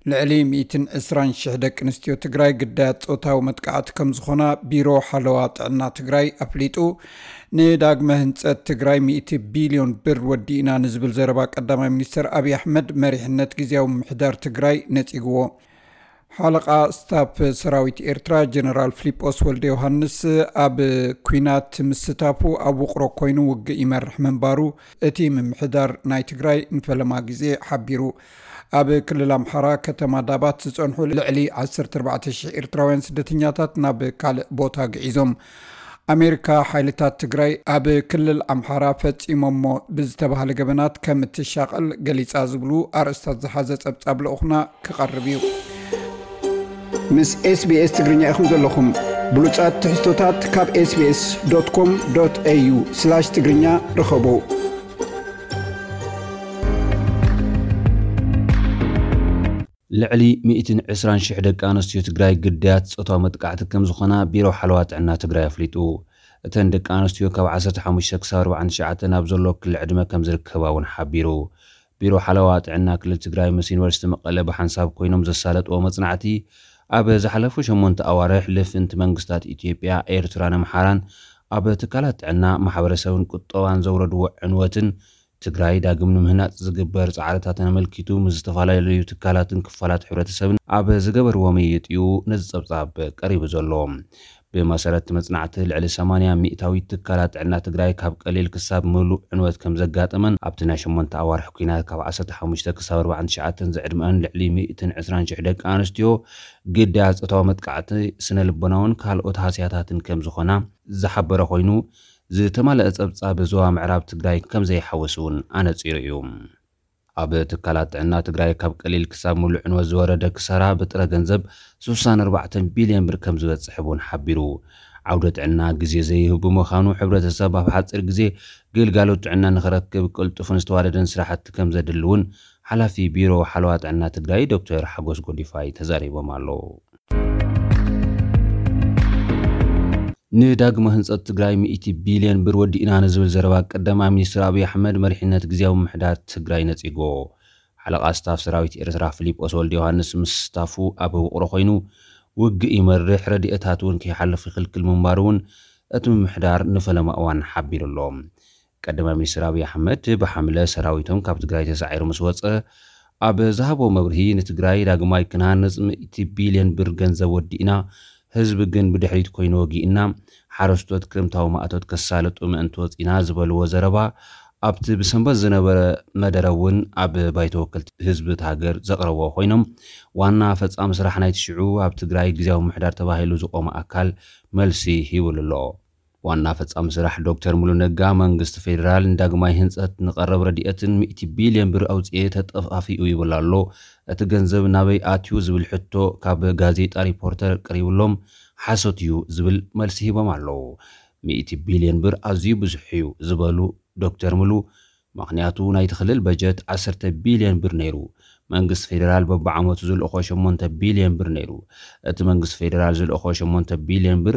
ልዕሊ ሚእትን ዕስራን ሽሕ ደቂ ኣንስትዮ ትግራይ ግዳያት ጾታዊ መጥቃዕቲ ከም ዝኾና ቢሮ ሓለዋ ጥዕና ትግራይ ኣፍሊጡ። ንዳግመ ህንጸት ትግራይ ሚእቲ ቢልዮን ብር ወዲእና ንዝብል ዘረባ ቀዳማይ ሚኒስትር ኣብይ ኣሕመድ መሪሕነት ግዝያዊ ምምሕዳር ትግራይ ነጺግዎ። ሓለቓ ስታፍ ሰራዊት ኤርትራ ጀነራል ፊሊጶስ ወልደ ዮሃንስ ኣብ ኲናት ምስታፉ ኣብ ውቕሮ ኮይኑ ውግእ ይመርሕ ምንባሩ እቲ ምምሕዳር ናይ ትግራይ ንፈለማ ግዜ ሓቢሩ። ኣብ ክልል ኣምሓራ ከተማ ዳባት ዝጸንሑ ልዕሊ ዓሰርተ ኣርባዕተ ሽሕ ኤርትራውያን ስደተኛታት ናብ ካልእ ቦታ ግዒዞም። ኣሜሪካ ሓይልታት ትግራይ ኣብ ክልል ኣምሓራ ፈጺሞሞ ብዝተባህለ ገበናት ከም እትሻቐል ገሊጻ ዝብሉ ኣርእስታት ዝሓዘ ጸብጻብ ልኡኽና ክቐርብ እዩ። ምስ ኤስቢኤስ ትግርኛ ኢኹም ዘለኹም። ብሉጻት ትሕዝቶታት ካብ ኤስቢኤስ ዶት ኮም ዶት ኤዩ ስላሽ ትግርኛ ርኸቡ። ልዕሊ ሚእትን ዕስራን ሽሕ ደቂ ኣንስትዮ ትግራይ ግዳያት ጾታዊ መጥቃዕቲ ከም ዝኾና ቢሮ ሓለዋ ጥዕና ትግራይ ኣፍሊጡ። እተን ደቂ ኣንስትዮ ካብ ዓሰርተ ሓሙሽተ ክሳብ ኣርባዓን ትሽዓተን ኣብ ዘሎ ክሊ ዕድመ ከም ዝርከባ እውን ሓቢሩ። ቢሮ ሓለዋ ጥዕና ክልል ትግራይ ምስ ዩኒቨርሲቲ መቐለ ብሓንሳብ ኮይኖም ዘሳለጥዎ መጽናዕቲ፣ ኣብ ዝሓለፉ ሸሞንተ ኣዋርሕ ልፍንቲ መንግስታት ኢትዮጵያ፣ ኤርትራን ኣምሓራን ኣብ ትካላት ጥዕና፣ ማሕበረሰብን ቁጠባን ዘውረድዎ ዕንወትን ትግራይ ዳግም ንምህናፅ ዝግበር ፃዕርታትን ኣመልኪቱ ምስ ዝተፈላለዩ ትካላትን ክፋላት ሕብረተሰብን ኣብ ዝገበርዎ ምይይጥ እዩ ነዚ ፀብፃብ ቀሪቡ ዘሎ። ብመሰረት መፅናዕቲ ልዕሊ ሰማንያ ሚእታዊት ትካላት ጥዕና ትግራይ ካብ ቀሊል ክሳብ ምሉእ ዕንወት ከም ዘጋጠመን ኣብቲ ናይ ሸሞንተ ኣዋርሕ ኲናት ካብ ዓሰርተ ሓሙሽተ ክሳብ ኣርባዓን ትሽዓተን ዝዕድመአን ልዕሊ ሚእትን ዕስራን ሽሕ ደቂ ኣንስትዮ ግዳያት ፆታዊ መጥቃዕቲ ስነ ልቦናውን ካልኦት ሃስያታትን ከም ዝኾና ዝሓበረ ኮይኑ ዝተማለአ ጸብጻብ ዞባ ምዕራብ ትግራይ ከም ዘይሓውስ እውን ኣነጺሩ እዩ። ኣብ ትካላት ጥዕና ትግራይ ካብ ቀሊል ክሳብ ምሉእ ዕንወት ዝወረደ ክሳራ ብጥረ ገንዘብ ስሳን ኣርባዕተን ቢልዮን ብር ከም ዝበጽሕ እውን ሓቢሩ። ዓውደ ጥዕና ግዜ ዘይህብ ብምዃኑ ሕብረተሰብ ኣብ ሓፂር ግዜ ግልጋሎት ጥዕና ንክረክብ ቅልጡፍን ዝተዋደደን ስራሕቲ ከም ዘድሊ እውን ሓላፊ ቢሮ ሓለዋ ጥዕና ትግራይ ዶክተር ሓጎስ ጎዲፋይ ተዛሪቦም ኣለዉ። ንዳግመ ህንፀት ትግራይ ሚእቲ ቢልዮን ብር ወዲእና ንዝብል ዘረባ ቀዳማይ ሚኒስትር ኣብይ ኣሕመድ መሪሕነት ግዝያዊ ምምሕዳር ትግራይ ነፂጎ። ሓለቓ ስታፍ ሰራዊት ኤርትራ ፊሊጶስ ወልደ ዮሃንስ ምስ ስታፉ ኣብ ውቕሮ ኮይኑ ውግእ ይመርሕ፣ ረድኤታት እውን ከይሓልፍ ይኽልክል ምንባሩ እውን እቲ ምምሕዳር ንፈለማ እዋን ሓቢሩ ኣሎ። ቀዳማይ ሚኒስትር ኣብይ ኣሕመድ ብሓምለ ሰራዊቶም ካብ ትግራይ ተሳዒሩ ምስ ወፀ ኣብ ዝሃቦ መብርሂ ንትግራይ ዳግማይ ክንሃንፅ ሚእቲ ቢልዮን ብር ገንዘብ ወዲእና ህዝቢ ግን ብድሕሪት ኮይኑ ወጊእና፣ ሓረስቶት ክረምታዊ ማእቶት ከሳልጡ ምእንቲ ወፂና ዝበልዎ ዘረባ ኣብቲ ብሰንበት ዝነበረ መደረ እውን ኣብ ባይቶ ወከልቲ ህዝቢ እቲ ሃገር ዘቕረብዎ ኮይኖም ዋና ፈፃሚ ስራሕ ናይቲ ሽዑ ኣብ ትግራይ ግዝያዊ ምምሕዳር ተባሂሉ ዝቆመ ኣካል መልሲ ሂብሉ ኣሎ። ዋና ፈፃሚ ስራሕ ዶክተር ሙሉ ነጋ መንግስቲ ፌዴራል ንዳግማይ ህንፀት ንቐረብ ረድኤትን ሚእቲ ቢልዮን ብር ኣውፅኤ ተጠፋፊኡ ይብል ኣሎ። እቲ ገንዘብ ናበይ ኣትዩ ዝብል ሕቶ ካብ ጋዜጣ ሪፖርተር ቀሪብሎም ሓሶት እዩ ዝብል መልሲ ሂቦም ኣለዉ። ሚእቲ ቢልዮን ብር ኣዝዩ ብዙሕ እዩ ዝበሉ ዶክተር ሙሉ ምኽንያቱ ናይቲ ክልል በጀት ዓሰርተ ቢልዮን ብር ነይሩ። መንግስቲ ፌዴራል በብዓመቱ ዝልእኾ ሸሞንተ ቢልዮን ብር ነይሩ። እቲ መንግስቲ ፌዴራል ዝልእኾ ሸሞንተ ቢልዮን ብር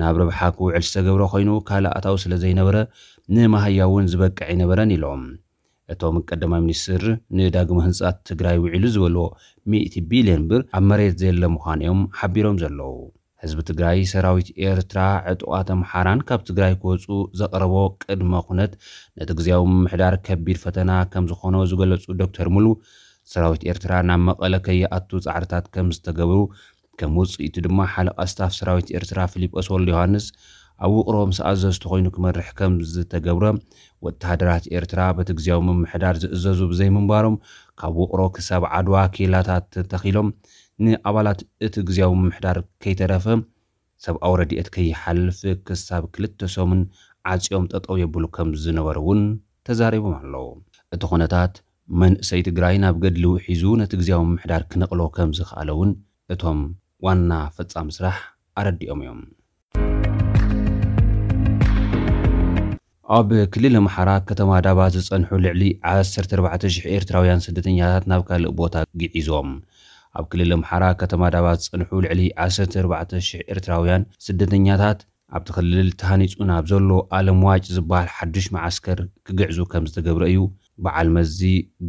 ናብ ረብሓ ክውዕል ዝተገብረ ኮይኑ ካልእ ኣታዊ ስለ ዘይነበረ ንመሃያ እውን ዝበቅዕ ኣይነበረን ኢሎም። እቶም ቀዳማይ ሚኒስትር ንዳግመ ህንፃት ትግራይ ውዒሉ ዝበልዎ ሚእቲ ቢልዮን ብር ኣብ መሬት ዘየለ ምዃኑ እዮም ሓቢሮም ዘለዉ። ህዝቢ ትግራይ ሰራዊት ኤርትራ ዕጡቓት ኣምሓራን ካብ ትግራይ ክወፁ ዘቕረቦ ቅድመ ኩነት ነቲ ግዝያዊ ምምሕዳር ከቢድ ፈተና ከም ዝኾኖ ዝገለፁ ዶክተር ሙሉ ሰራዊት ኤርትራ ናብ መቐለ ከይኣቱ ፃዕርታት ከም ዝተገብሩ ከም ውፅኢቱ ድማ ሓለቓ ስታፍ ሰራዊት ኤርትራ ፊሊጶስ ወልደ ዮሃንስ ኣብ ውቕሮ ምስ ኣዘዝቲ ኮይኑ ክመርሕ ከም ዝተገብረ ወተሃደራት ኤርትራ በቲ ግዝያዊ ምምሕዳር ዝእዘዙ ብዘይምንባሮም ካብ ውቕሮ ክሳብ ዓድዋ ኬላታት ተተኺሎም ንኣባላት እቲ ግዝያዊ ምምሕዳር ከይተረፈ ሰብኣዊ ረድኤት ከይሓልፍ ክሳብ ክልተ ሰሙን ዓፅዮም ጠጠው የብሉ ከም ዝነበሩ እውን ተዛሪቦም ኣለዉ። እቲ ኩነታት መንእሰይ ትግራይ ናብ ገድሊ ውሒዙ ነቲ ግዝያዊ ምምሕዳር ክነቕሎ ከም ዝኸኣለ እውን እቶም ዋና ፈፃሚ ስራሕ ኣረዲኦም እዮም። ኣብ ክልል ኣምሓራ ከተማ ዳባት ዝፀንሑ ልዕሊ ዓሰርተ ኣርባዕተ ሽሕ ኤርትራውያን ስደተኛታት ናብ ካልእ ቦታ ግዒዞም። ኣብ ክልል ኣምሓራ ከተማ ዳባት ዝፀንሑ ልዕሊ ዓሰርተ ኣርባዕተ ሽሕ ኤርትራውያን ስደተኛታት ኣብቲ ክልል ተሃኒፁ ናብ ዘሎ ኣለምዋጭ ዝበሃል ሓዱሽ መዓስከር ክግዕዙ ከም ዝተገብረ እዩ በዓል መዚ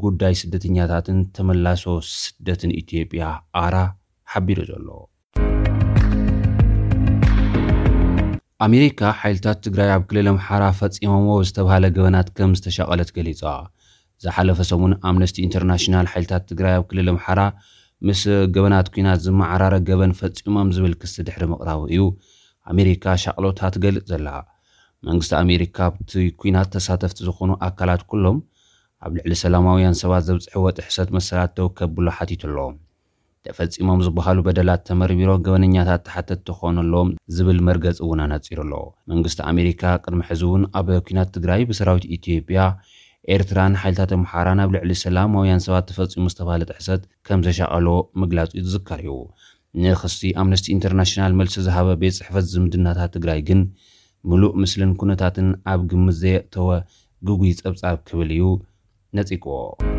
ጉዳይ ስደተኛታትን ተመላሶ ስደትን ኢትዮጵያ ኣራ ሓቢሩ ዘሎ። ኣሜሪካ ሓይልታት ትግራይ ኣብ ክልል ኣምሓራ ፈጺሞምዎ ዝተባህለ ገበናት ከም ዝተሻቐለት ገሊጻ። ዝሓለፈ ሰሙን ኣምነስቲ ኢንተርናሽናል ሓይልታት ትግራይ ኣብ ክልል ኣምሓራ ምስ ገበናት ኲናት ዝመዓራረ ገበን ፈጺሞም ዝብል ክሲ ድሕሪ ምቕራቡ እዩ ኣሜሪካ ሻቕሎታ ትገልጽ ዘላ። መንግስቲ ኣሜሪካ ኣብቲ ኲናት ተሳተፍቲ ዝኾኑ ኣካላት ኩሎም ኣብ ልዕሊ ሰላማውያን ሰባት ዘብፅሕዎ ጥሕሰት መሰላት ደው ከብሎ ሓቲቱ ኣሎ። ተፈጺሞም ዝበሃሉ በደላት ተመርሚሮም ገበነኛታት ተሓተትቲ ክኾኑ ኣለዎም ዝብል መርገፂ እውን ኣነፂሩ ኣሎ። መንግስቲ ኣሜሪካ ቅድሚ ሕዚ እውን ኣብ ኲናት ትግራይ ብሰራዊት ኢትዮጵያ፣ ኤርትራን ሓይልታት ኣምሓራን ኣብ ልዕሊ ሰላማውያን ሰባት ተፈጺሙ ዝተባህለ ጥሕሰት ከም ዘሻቐሎ ምግላጹ ዝዝከር እዩ። ንክሲ ኣምነስቲ ኢንተርናሽናል መልሲ ዝሃበ ቤት ጽሕፈት ዝምድናታት ትግራይ ግን ምሉእ ምስልን ኩነታትን ኣብ ግምት ዘየእተወ ግጉይ ጸብጻብ ክብል እዩ ነጺግዎ።